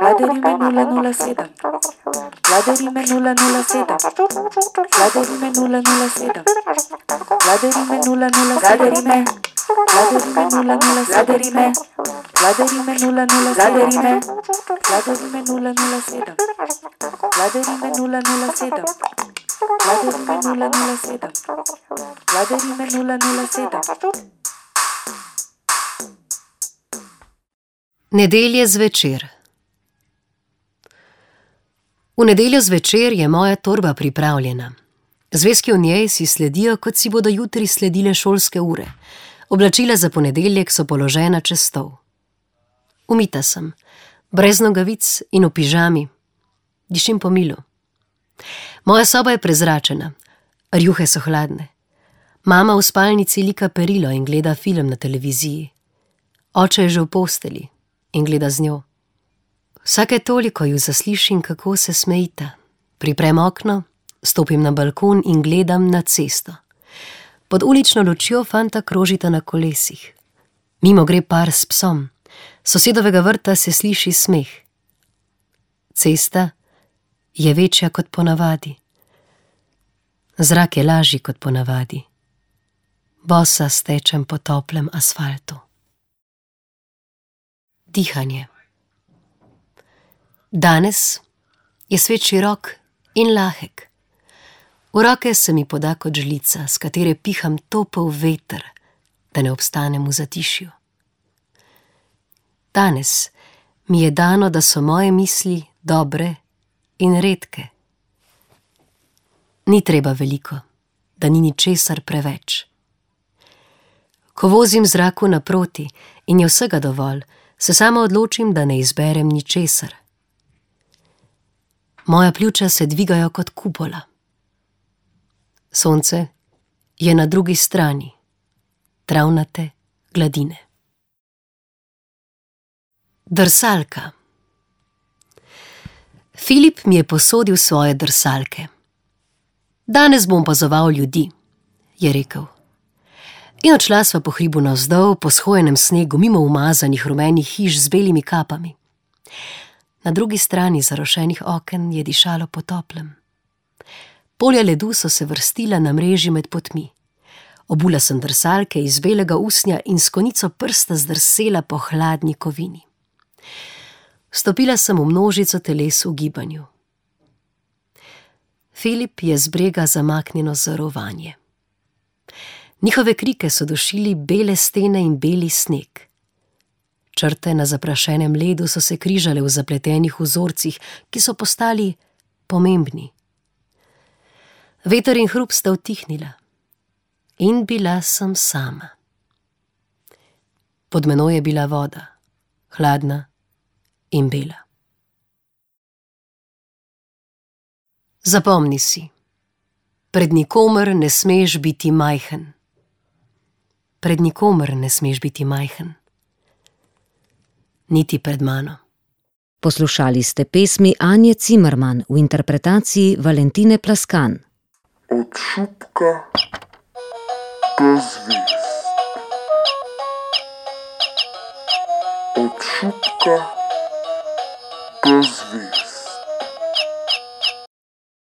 Vladerime 007. Vladerime 007. Vladerime 007. Vladerime 007. Vladerime 007. Vladerime 007. Vladerime 007. Vladerime 007. Vladerime 007. Vladerime 007. Nedelje zvečer. V nedeljo zvečer je moja torba pripravljena. Zvezki v njej si sledijo, kot si bodo jutri sledile šolske ure. Oblačila za ponedeljek so položena čez stol. Umita sem, brez nogavic in v pižami. Dišim po milu. Moja soba je prezračena, rjuhe so hladne. Mama v spalnici lika perilo in gleda film na televiziji. Oče je že v posteli in gleda z njo. Vsake toliko ju zaslišim, kako se smejita. Priprem okno, stopim na balkon in gledam na cesto. Pod ulično lučjo fanta krožita na kolesih. Mimo gre par s psom. S sosedovega vrta se sliši smeh. Cesta je večja kot ponavadi. Zrak je lažji kot ponavadi. Bosa stečem po toplem asfaltu. Dihanje. Danes je svet širok in lahek. V roke se mi poda kot žlica, s katere piham topel veter, da ne obstanem v zatišju. Danes mi je dano, da so moje misli dobre in redke. Ni treba veliko, da ni ničesar preveč. Ko vozim zraku naproti in je vsega dovolj, se sama odločim, da ne izberem ničesar. Moja pljuča se dvigajo kot kupola. Sonce je na drugi strani, travnate gladine. Drsalka. Filip mi je posodil svoje drsalke. Danes bom opazoval ljudi, je rekel. In odšla sva po hribu navzdol, po shojenem snegu, mimo umazanih rumenih hiš z belimi kapami. Na drugi strani zarošenih oken je dišalo po toplem. Polja ledu so se vrstila na mreži med potmi. Obula sem drsalke iz belega usnja in s konico prsta zdrsela po hladni kovini. Stopila sem v množico teles v gibanju. Filip je z brega zamaknjeno zarovanje. Njihove krike so dušili bele stene in beli sneg. Črte na zaprašenem ledu so se križale v zapletenih vzorcih, ki so postali pomembni. Veter in hrup sta utihnila in bila sem sama. Pod menoj je bila voda, hladna in bela. Zapomni si, pred nikomer ne smeš biti majhen. Pred nikomer ne smeš biti majhen. Niti pred mano. Poslušali ste pesmi Anje Cimerman v interpretaciji Valentine Plaskan. Od šupka do zvezd. Od šupka do zvezd.